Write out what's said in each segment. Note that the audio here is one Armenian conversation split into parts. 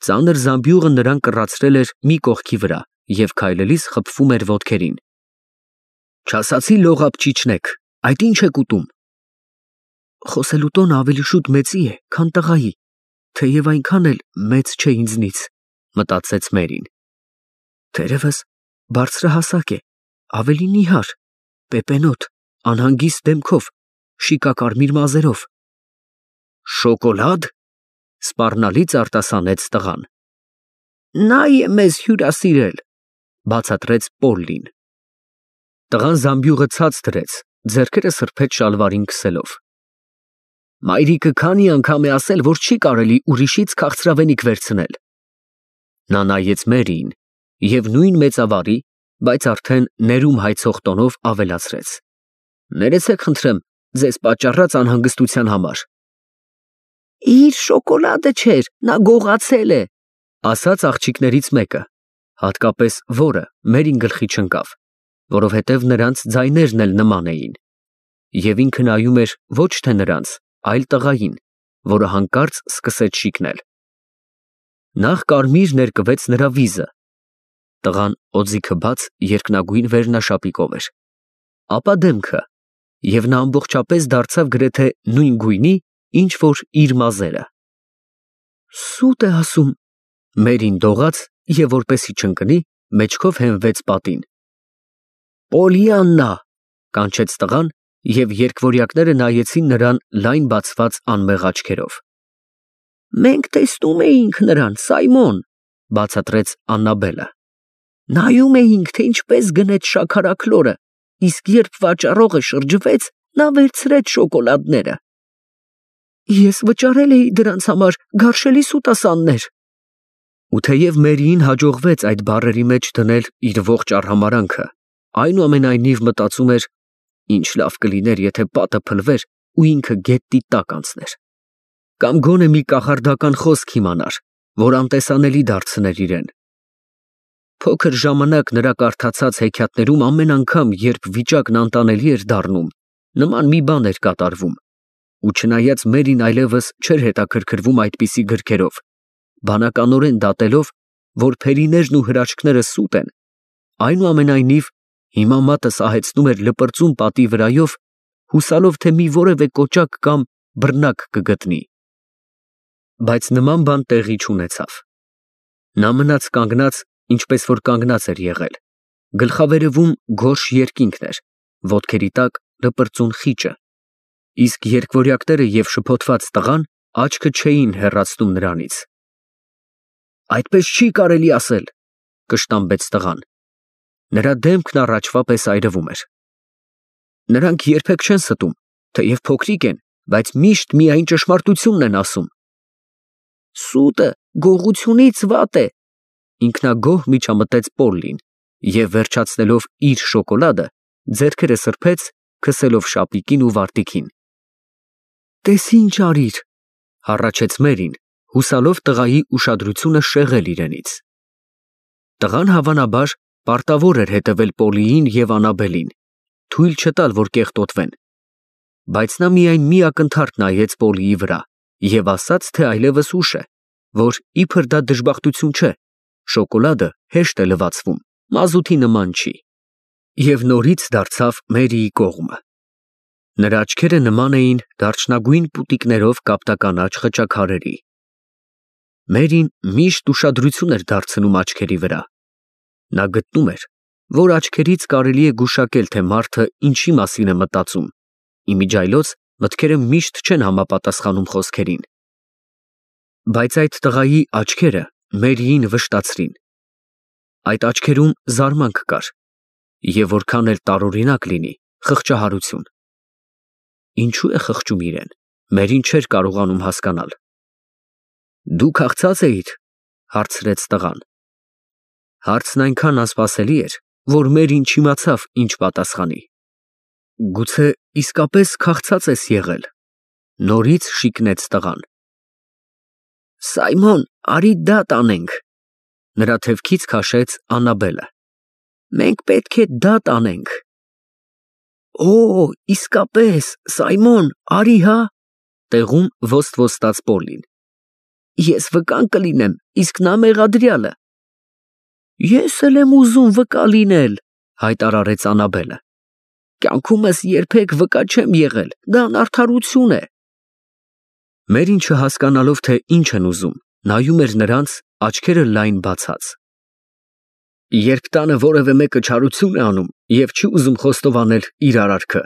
Ծանր զամբյուղը նրան կռացրել էր մի կողքի վրա և քայլելիս խփվում էր ոտքերին։ Չասացի լողապճիճնեք, այդ ինչ եք ուտում։ Խոսելու տոնը ավելի շուտ մեծի է, քան տղայի, թեև այնքան էլ մեծ չէ ինձնից, մտածեց Մերին։ Թերևս բարձրահասակ է, ավելի նիհար, պեպենոտ, անհանգիստ դեմքով, շիկակարմիր մազերով։ Շոկոլադ, սպառնալից արտասանեց տղան։ Նա է մեզ հյուրասիրել, բացատրեց Պոլլին։ Տղան զամբյուղը ցած դրեց, ձեռքերը սրբեց շալվարին քսելով։ Մայրիկը քանի անգամ է ասել, որ չի կարելի ուրիշից քաղցրավենիք վերցնել։ Նա նայեց Մերիին և նույն մեծավարի, բայց արդեն ներում հայցող տոնով ավելացրեց. Ներեցեք խնդրեմ ձեզ պատճառած անհանգստության համար։ Իր շոկոլադը չէր, նա գողացել է, ասաց աղջիկներից մեկը, հատկապես որը Մերին գլխի չընկավ, որովհետև նրանց ձայներն էլ նման էին, և ինքը նայում էր ոչ թե նրանց, այլ տղային, որը հանկարծ սկսեց շիկնել։ Նախ կարմիր ներկվեց նրա վիզը, տղան օձիքը բաց երկնագույն վերնաշապիկով էր, ապա դեմքը, և նա ամբողջապես դարձավ գրեթե նույն գույնի, ինչ որ իր մազերը։ Սուտ է ասում, Մերին դողաց և որպեսի չընկնի, մեջքով հենվեց պատին։ Պոլիաննա, կանչեց տղան, և երկվորյակները նայեցին նրան լայն բացված անմեղ աչքերով։ Մենք տեսնում էինք նրան, Սայմոն, բացատրեց Աննաբելը։ Նայում էինք, թե ինչպես գնեց շաքարաքլորը, իսկ երբ վաճառողը շրջվեց, նա վերցրեց շոկոլադները։ Ես վճարել էի դրանց համար գարշելի սուտասաններ։ Ու թեև Մերիին հաջողվեց այդ բառերի մեջ դնել իր ողջ արհամարհանքը, այնուամենայնիվ մտածում էր, ինչ լավ կլիներ, եթե պատը փլվեր ու ինքը գետնի տակ անցներ, կամ գոնե մի կախարդական խոսք իմանար, որ անտեսանելի դարձներ իրեն։ Փոքր ժամանակ նրա կարդացած հեքիաթներում ամեն անգամ, երբ վիճակն անտանելի էր դառնում, նման մի բան էր կատարվում, ու չնայած Մերին այլևս չէր հետաքրքրվում այդպիսի գրքերով, բանականորեն դատելով, որ փերիներն ու հրաշքները սուտ են, այնուամենայնիվ հիմա մատը սահեցնում էր լպրծուն պատի վրայով, հուսալով, թե մի որևէ կոճակ կամ բռնակ կգտնի։ Բայց նման բան տեղի չունեցավ։ Նա մնաց կանգնած, ինչպես որ կանգնած էր եղել, գլխավերևում գորշ երկինքն էր, ոտքերի տակ լպրծուն խիճը, իսկ երկվորյակները և շփոթված տղան աչքը չէին հեռացնում նրանից։ Այդպես չի կարելի ասել, կշտամբեց տղան։ Նրա դեմքն առաջվա պես այրվում էր։ Նրանք երբեք չեն ստում, թեև փոքրիկ են, բայց միշտ միայն ճշմարտությունն են ասում։ Սուտը գողությունից վատ է, ինքնագոհ միջամտեց Պոլլին և վերջացնելով իր շոկոլադը, ձեռքերը սրբեց, քսելով շապիկին ու վարտիքին։ Տես ինչ արիր, հառաչեց Մերին, հուսալով տղայի ուշադրությունը շեղել իրենից։ Տղան հավանաբար պարտավոր էր հետևել Պոլիին և Անաբելին, թույլ չտալ, որ կեղտոտվեն, բայց նա միայն մի ակնթարթ նայեց Պոլիի վրա և ասաց, թե այլևս ուշ է, որ իբր դա դժբախտություն չէ, շոկոլադը հեշտ է լվացվում, մազութի նման չի, և նորից դարձավ Մերիի կողմը։ Նրա աչքերը նման էին դարչնագույն պուտիկներով կապտականաչ խճաքարերի։ Մերին միշտ ուշադրություն էր դարձնում աչքերի վրա։ Նա գտնում էր, որ աչքերից կարելի է գուշակել, թե մարդը ինչի մասին է մտածում, իմիջիայլոց մտքերը միշտ չեն համապատասխանում խոսքերին։ Բայց այդ տղայի աչքերը Մերիին վշտացրին։ Այդ աչքերում զարմանք կար, և որքան էլ տարօրինակ լինի, խղճահարություն։ Ինչու է խղճում իրեն, Մերին չէր կարողանում հասկանալ։ Դու քաղցած էիր, հարցրեց տղան։ Հարցն այնքան անսպասելի էր, որ Մերին չիմացավ ինչ պատասխանի։ Գուցե իսկապես քաղցած ես եղել, նորից շիկնեց տղան։ Սայմոն, արի դատ անենք, նրա թևքից քաշեց Աննաբելը։ Մենք պետք է դատ անենք։ Օ, իսկապես, Սայմոն, արի հա, տեղում ոստ ոստաց Պոլլին։ Ես վկան կլինեմ, իսկ նա մեղադրյալը։ Ես էլ եմ ուզում վկա լինել, հայտարարեց Անաբելը։ Կյանքումս երբեք վկա չեմ եղել, դա անարդարություն է։ Մերին չհասկանալով, թե ինչ են ուզում, նայում էր նրանց, աչքերը լայն բացած։ Երբ տանը որևէ մեկը չարություն է անում և չի ուզում խոստովանել իր արարքը,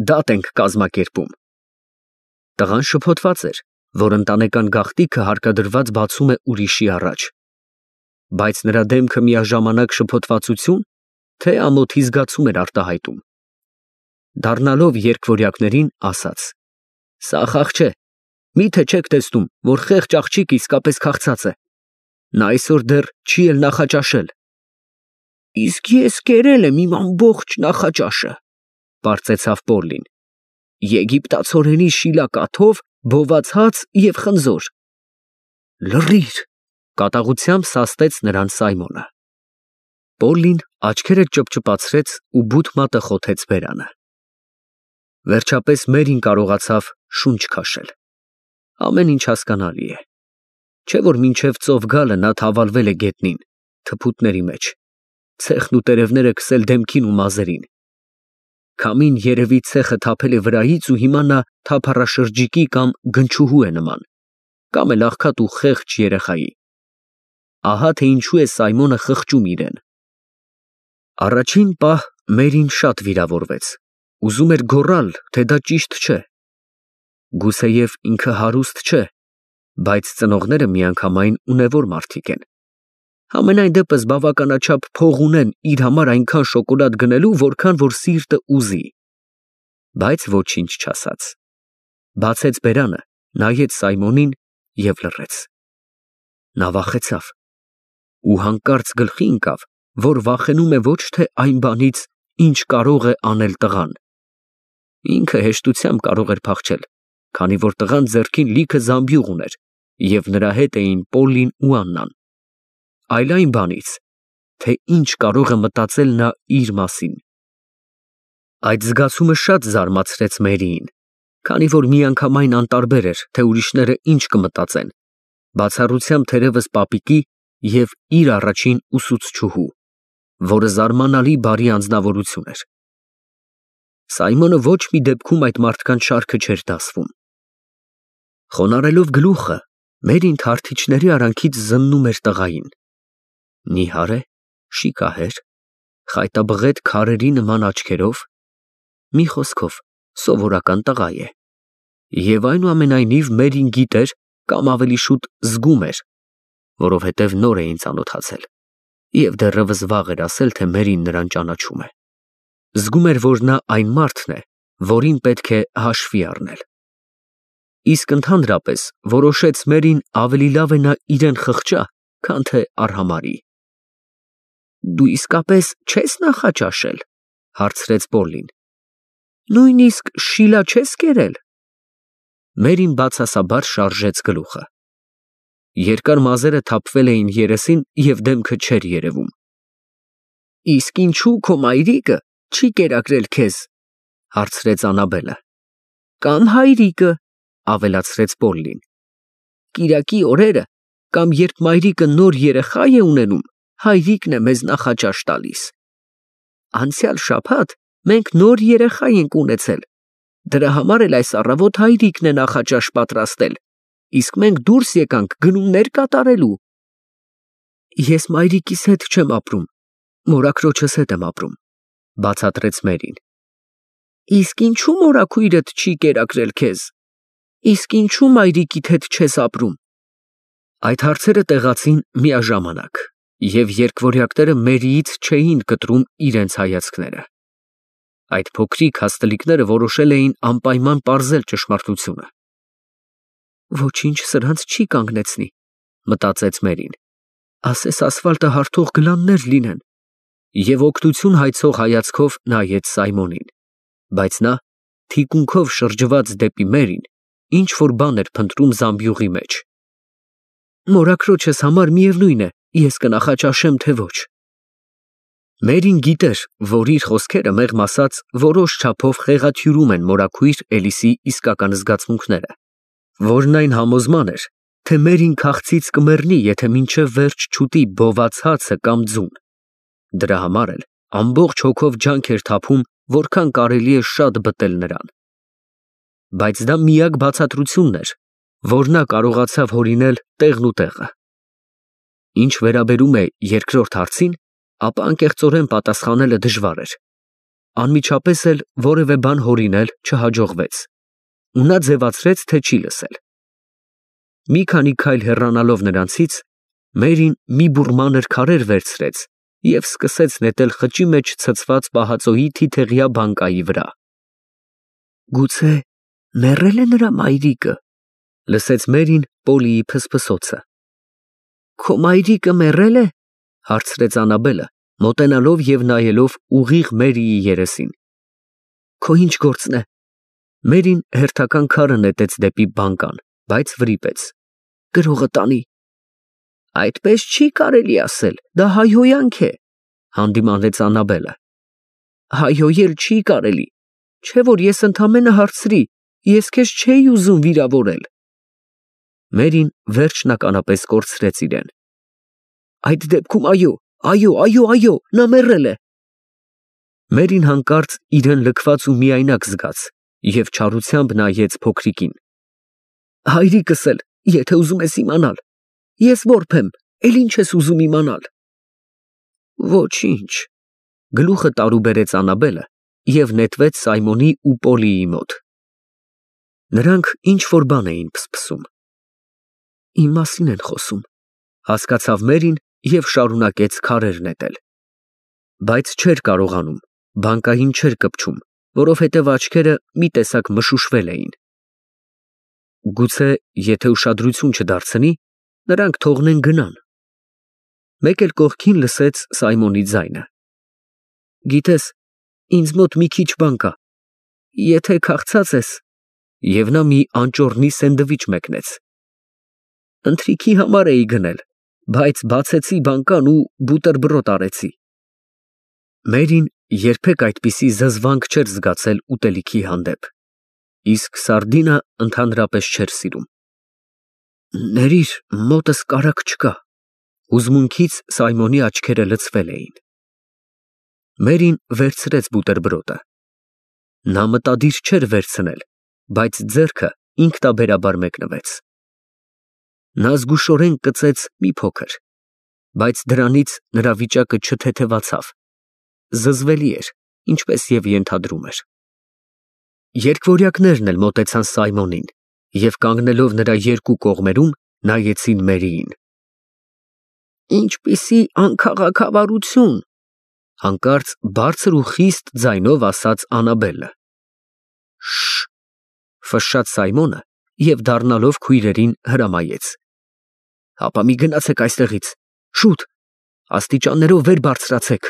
դատ ենք կազմակերպում։ Տղան շփոթված էր, որ ընտանեկան գաղտնիքը հարկադրված բացում է ուրիշի առաջ։ Բայց նրա դեմքը միաժամանակ շփոթվածություն, թե ամոթի զգացում էր արտահայտում։ Դառնալով երկվորյակներին, ասաց. Սա խաղ չէ, միթե չեք տեսնում, որ խեղճ աղջիկ իսկապես քաղցած է։ Նա այսօր դեռ չի էլ նախաճաշել։ Իսկ ես կերել եմ իմ ամբողջ նախաճաշը, պարծեցավ Պոլլին։ Եգիպտացորենի շիլակաթով, բոված հաց և խնձոր։ Լռիր, կատաղությամբ սաստեց նրան Սայմոնը։ Պոլլին աչքերը ճպճպացրեց ու բութ մատը խոթեց բերանը։ Վերջապես Մերին կարողացավ շունչ քաշել։ Ամեն ինչ հասկանալի է։ Չէ որ մինչև ծով գալը նա թավալվել է գետնին, թփուտների մեջ, ցեխն ու տերևները քսել դեմքին ու մազերին։ Քամին երևի ցեխը թափել է վրայից ու հիմա նա թափառաշրջիկի կամ գնչուհու է նման, կամ էլ աղքատ ու խեղճ երեխայի։ Ահա թե ինչու է Սայմոնը խղճում իրեն։ Առաջին պահ Մերին շատ վիրավորվեց, ուզում էր գոռալ, թե դա ճիշտ չէ։ Գուցեև ինքը հարուստ չէ, բայց ծնողները միանգամայն ունևոր մարդիկ են։ Համենայն դեպս բավականաչափ փող ունեն իր համար այնքան շոկոլադ գնելու, որքան որ սիրտը ուզի։ Բայց ոչինչ չասաց։ Բացեց բերանը, նայեց Սայմոնին և լռեց։ Նա վախեցավ ու հանկարծ գլխի ընկավ, որ վախենում է ոչ թե այն բանից, ինչ կարող է անել տղան։ Ինքը հեշտությամբ կարող էր փախչել, քանի որ տղան ձեռքին լիքը զամբյուղ ուներ, և նրա հետ էին Պոլլին ու Աննան, այլ այն բանից, թե ինչ կարող է մտածել նա իր մասին։ Այդ զգացումը շատ զարմացրեց Մերիին, քանի որ միանգամայն անտարբեր էր, թե ուրիշները ինչ կմտածեն, բացառությամբ թերևս պապիկի և իր առաջին ուսուցչուհու, որը զարմանալի բարի անձնավորություն էր։ Սայմոնը ոչ մի դեպքում այդ մարդկանց շարքը չէր դասվում։ Խոնարհելով գլուխը, Մերին թարթիչների արանքից զննում էր տղային։ Նիհար է, շիկահեր, խայտաբղետ քարերի նման աչքերով, մի խոսքով, սովորական տղա է։ Եվ այնուամենայնիվ Մերին գիտեր, կամ ավելի շուտ զգում էր, որովհետև նոր էին ծանոթացել, և դեռևս վաղ էր ասել, թե Մերին նրան ճանաչում է։ Զգում էր, որ նա այն մարդն է, որին պետք է հաշվի առնել։ Իսկ ընդհանրապես որոշեց Մերին ավելի լավ է նա իրեն խղճա, քան թե արհամարհի։ Դու իսկապես չես նախաճաշել, հարցրեց Պոլլին։ Նույնիսկ շիլա չես կերել։ Մերին բացասաբար շարժեց գլուխը։ Երկար մազերը թափվել էին երեսին և դեմքը չէր երևում։ Իսկ ինչու քո մայրիկը չի կերակրել քեզ, հարցրեց Անաբելը։ Կամ հայրիկը, ավելացրեց Պոլլին։ Կիրակի օրերը, կամ երբ մայրիկը նոր երեխա է ունենում, հայրիկն է մեզ նախաճաշ տալիս։ Անցյալ շաբաթ մենք նոր երեխա ենք ունեցել, դրա համար էլ այս առավոտ հայրիկն է նախաճաշ պատրաստել, իսկ մենք դուրս եկանք գնումներ կատարելու։ Ես մայրիկիս հետ չեմ ապրում, մորաքրոջս հետ եմ ապրում, բացատրեց Մերին։ Իսկ ինչու մորաքույրդ չի կերակրել քեզ։ Իսկ ինչու մայրիկիդ հետ չես ապրում։ Այդ հարցերը տեղացին միաժամանակ, և երկվորյակները Մերիից չէին կտրում իրենց հայացքները։ Այդ փոքրիկ հաստլիկները որոշել էին անպայման պարզել ճշմարտությունը։ Ոչինչ սրանց չի կանգնեցնի, մտածեց Մերին։ Ասես ասֆալտը հարթող գլաններ լինեն։ Եվ օգնություն հայցող հայացքով նայեց Սայմոնին, բայց նա, թիկունքով շրջված դեպի Մերին, ինչ-որ բան էր փնտրում զամբյուղի մեջ։ Մորաքրոջս համար միևնույն է, ես կնախաճաշեմ, թե ոչ։ Մերին գիտեր, որ իր խոսքերը մեղմ ասած որոշ չափով խեղաթյուրում են մորաքույր Էլիսի իսկական զգացմունքները, որն այն համոզման էր, թե Մերին քաղցից կմեռնի, եթե մինչև վերջ չուտի բոված հացը կամ ձուն։ Դրա համար էլ ամբողջ հոգով ջանք էր թափում, որքան կարելի է շատ բտել նրան։ Բայց դա միակ բացատրությունն էր, որ նա կարողացավ հորինել տեղն ու տեղը։ Ինչ վերաբերում է երկրորդ հարցին, ապա անկեղծորեն պատասխանելը դժվար էր։ Անմիջապես էլ որևէ բան հորինել չհաջողվեց, ու նա ձևացրեց, թե չի լսել։ Մի քանի քայլ հեռանալով նրանցից, Մերին մի բուռ մանր քարեր վերցրեց և սկսեց նետել խճի մեջ ցցված պահածոյի թիթեղյա բանկայի վրա։ Գուցե մեռել է նրա մայրիկը, լսեց Մերին Պոլիի փսփսոցը։ Քո մայրիկը մեռել է, հարցրեց Աննաբելը, մոտենալով և նայելով ուղիղ Մերիի երեսին։ Քո ինչ գործն է։ Մերին հերթական քարը նետեց դեպի բանկան, բայց վրիպեց։ Գրողը տանի։ Այդպես չի կարելի ասել, դա հայհոյանք է, հանդիմանեց Աննաբելը։ Հայհոյել չի կարելի, չէ որ ես ընդամենը հարցրի, ես քեզ չէի ուզում վիրավորել։ Մերին վերջնականապես կորցրեց իրեն։ Այդ դեպքում այո, նա մեռել է։ Մերին հանկարծ իրեն լքված ու միայնակ զգաց և չարությամբ նայեց փոքրիկին։ Հայրիկս էլ, եթե ուզում ես իմանալ, ես որբ եմ, էլ ինչ ես ուզում իմանալ։ Ոչինչ, գլուխը տարուբերեց Աննաբելը և նետվեց Սայմոնի ու Պոլիի մոտ։ Նրանք ինչ որ բան էին փսփսում։ Իմ մասին են խոսում, հասկացավ Մերին և շարունակեց քարեր նետել։ Բայց չէր կարողանում, բանկային չէր կպչում, որովհետև աչքերը մի տեսակ մշուշվել էին։ Գուցե, եթե ուշադրություն չդարձնի, նրանք թողնեն գնան։ Մեկ էլ կողքին լսեց Սայմոնի ձայնը։ Գիտես, ինձ մոտ մի քիչ բան կա, եթե քաղցած ես, և նա մի անճոռնի սենդվիչ մեկնեց։ Ընթրիքի համար էի գնել, բայց բացեցի բանկան ու բուտերբրոդ արեցի։ Մերին երբեք այդպիսի զզվանք չէր զգացել ուտելիքի հանդեպ, իսկ սարդինը ընդհանրապես չէր սիրում։ Ներիր, մոտս կարագ չկա։ Հուզմունքից Սայմոնի աչքերը լցվել էին։ Մերին վերցրեց բուտերբրոդը։ Նա մտադիր չէր վերցնել, բայց ձեռքը ինքնաբերաբար մեկնվեց։ Նա զգուշորեն կծեց մի փոքր, բայց դրանից նրա վիճակը չթեթևացավ։ Զզվելի էր, ինչպես և ենթադրում էր։ Երկվորյակներն էլ մոտեցան Սայմոնին և կանգնելով նրա երկու կողմերում նայեցին Մերիին։ Ինչպիսի անքաղաքավարություն, հանկարծ բարձր ու խիստ ձայնով ասաց Աննաբելը։ Շ… ֆշշաց Սայմոնը և դառնալով քույրերին հրամայեց։ Հապա մի գնացեք այստեղից, շուտ, աստիճաններով վեր բարձրացեք։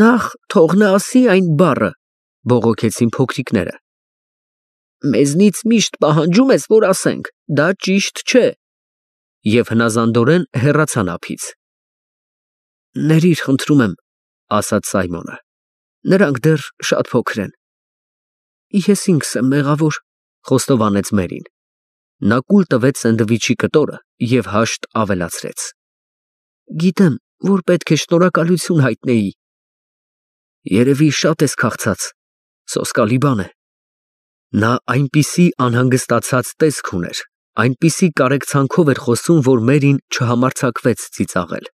Նախ թող նա ասի այն բառը, բողոքեցին փոքրիկները։ Մեզնից միշտ պահանջում ես, որ ասենք, դա ճիշտ չէ։ Եվ հնազանդորեն հեռացան ափից։ Ներիր, խնդրում եմ, ասաց Սայմոնը։ Նրանք դեռ շատ փոքր են։ Ես ինքս եմ մեղավոր, խոստովանեց Մերին։ Նա կուլ տվեց սենդվիչի կտորը և հաշտ ավելացրեց։ Գիտեմ, որ պետք է շնորհակալություն հայտնեի։ Երևի շատ ես քաղցած, սոսկալի բան է։ Նա այնպիսի անհանգստացած տեսք ուներ, այնպիսի կարեկցանքով էր խոսում, որ Մերին չհամարձակվեց ծիծաղել։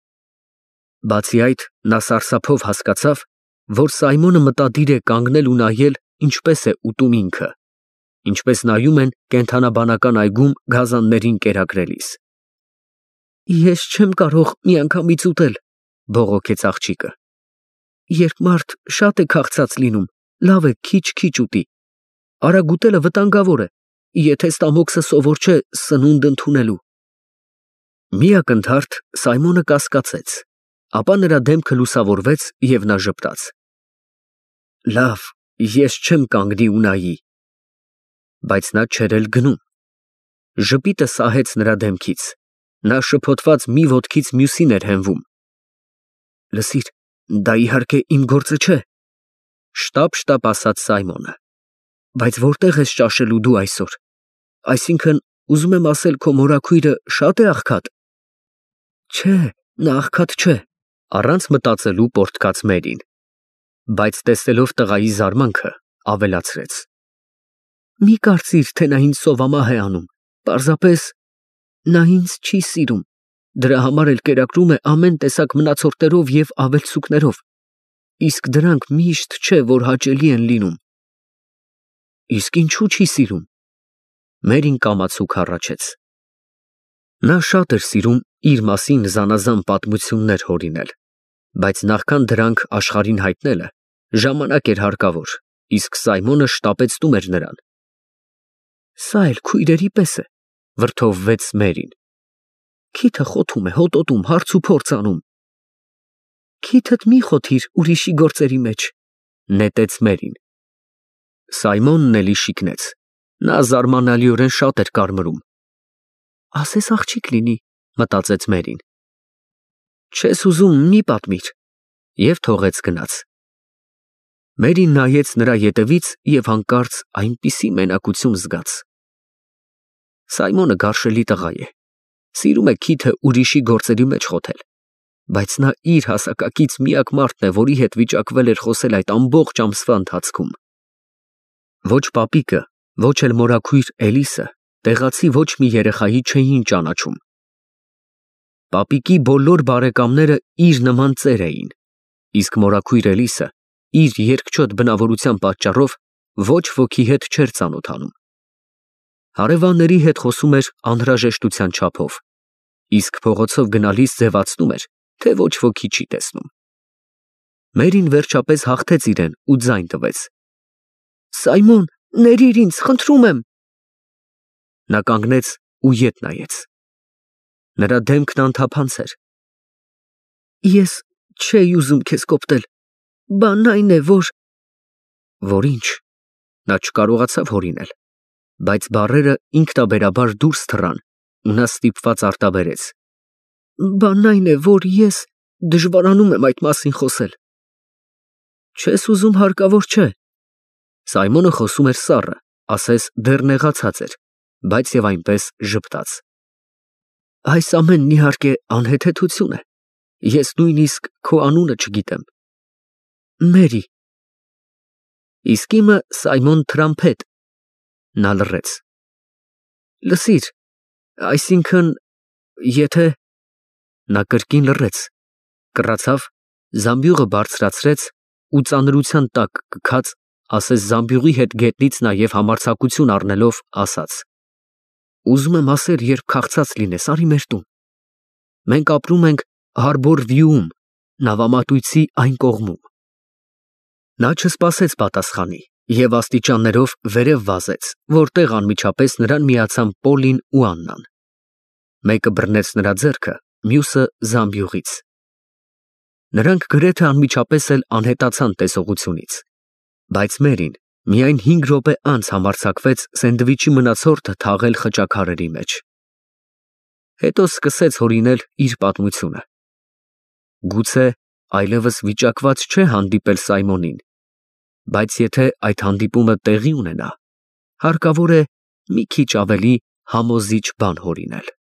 Բացի այդ, նա սարսափով հասկացավ, որ Սայմոնը մտադիր է կանգնել ու նայել, ինչպես է ուտում ինքը, ինչպես նայում են կենդանաբանական այգում գազաններին կերակրելիս։ Ես չեմ կարող միանգամից ուտել, բողոքեց աղջիկը։ Երբ մարդ շատ է քաղցած լինում, լավ է քիչ-քիչ ուտի։ Արագ ուտելը վտանգավոր է, եթե ստամոքսը սովոր չէ սնունդ ընդունելու։ Մի ակնթարթ Սայմոնը կասկածեց, ապա նրա դեմքը լուսավորվեց և նա ժպտաց։ Լավ, ես չեմ կանգնի ու նայի։ Բայց նա չէր էլ գնում։ Ժպիտը սահեց նրա դեմքից։ Նա շփոթված մի ոտքից մյուսին էր հենվում։ Լսիր, դա իհարկե իմ գործը չէ, շտապ ասաց Սայմոնը։ Բայց որտե՞ղ ես ճաշելու դու այսօր։ Այսինքն, ուզում եմ ասել, քո մորաքույրը շատ է աղքատ։ Չէ, նա աղքատ չէ, առանց մտածելու պոռթկաց Մերին, բայց տեսելով տղայի զարմանքը, ավելացրեց. Մի կարծիր, թե նա ինձ սովամահ է անում, պարզապես նա ինձ չի սիրում, դրա համար էլ կերակրում է ամեն տեսակ մնացորդներով և ավելցուկներով, իսկ դրանք միշտ չէ, որ հաճելի են լինում։ Իսկ ինչու չի սիրում։ Մերին կամացուկ հառաչեց։ Նա շատ էր սիրում իր մասին զանազան պատմություններ հորինել, բայց նախքան դրանք աշխարհին հայտնելը, ժամանակ էր հարկավոր, իսկ Սայմոնը շտապեցնում էր նրան։ Սա էլ քույրերի պես է, վրդովվեց Մերին։ Քիթը խոթում է, հոտոտում, հարց ու փորձ անում։ Քիթդ մի խոթիր ուրիշի գործերի մեջ, նետեց Մերին։ Սայմոնն էլի շիկնեց։ Նա զարմանալիորեն շատ էր կարմրում։ Ասես աղջիկ լինի, մտածեց Մերին։ Չես ուզում, մի պատմիր, և թողեց գնաց։ Մերին նայեց նրա ետևից և հանկարծ այնպիսի մենակություն զգաց։ Սայմոնը գարշելի տղա է, սիրում է քիթը ուրիշի գործերի մեջ խոթել, բայց նա իր հասակակից միակ մարդն է, որի հետ վիճակվել էր խոսել այդ ամբողջ ամսվա ընթացքում։ Ոչ պապիկը, ոչ էլ մորաքույր Էլիսը տեղացի ոչ մի երեխայի չէին ճանաչում։ Պապիկի բոլոր բարեկամները իր նման ծեր էին, իսկ մորաքույր Էլիսը իր երկչոտ բնավորության պատճառով ոչ ոքի հետ չէր ծանոթանում։ Հարևանների հետ խոսում էր անհրաժեշտության չափով, իսկ փողոցով գնալիս ձևացնում էր, թե ոչ ոքի չի տեսնում։ Մերին վերջապես հաղթեց իրեն ու ձայն տվեց. Սայմոն, ներիր ինձ, խնդրում եմ։ Նա կանգնեց ու ետ նայեց։ Նրա դեմքն անթափանց էր։ Ես չէի ուզում քեզ կոպտել, բանն այն է, որ ինչ, նա չկարողացավ հորինել, բայց բառերը ինքնաբերաբար դուրս թռան ու նա ստիպված արտաբերեց. Բանն այն է, որ ես դժվարանում եմ այդ մասին խոսել։ Չես ուզում, հարկավոր չէ։ Սայմոնը խոսում էր սառը, ասես դեռ նեղացած էր, բայց և այնպես ժպտաց։ Այս ամենն իհարկե անհեթեթություն է։ Ես նույնիսկ քո անունը չգիտեմ։ Մերի։ Իսկ իմը Սայմոն Թրամփետ։ Նա լռեց։ Լսիր, այսինքն, եթե… Նա կրկին լռեց, կռացավ, զամբյուղը բարձրացրեց ու ծանրության տակ կքած, ասես զամբյուղի հետ գետնից նայև համարձակություն առնելով, ասաց. Ուզում եմ ասել, երբ քաղցած լինես, արի մեր տուն։ Մենք ապրում ենք Հարբոր Վյուում, նավամատույցի այն կողմում։ Նա չսպասեց պատասխանի և աստիճաններով վերև վազեց, որտեղ անմիջապես նրան միացան Պոլին ու Աննան։ Մեկը բռնեց նրա ձեռքը, մյուսը զամբյուղից։ Նրանք գրեթե անմիջապես էլ անհետացան տեսողությունից, բայց Մերին միայն 5 րոպե անց համարձակվեց սենդվիչի մնացորդը թաղել խճաքարերի մեջ։ Հետո սկսեց հորինել իր պատմությունը։ Գուցե այլևս վիճակված չէ հանդիպել Սայմոնին, բայց եթե այդ հանդիպումը տեղի ունենա, հարկավոր է մի քիչ ավելի համոզիչ բան հորինել։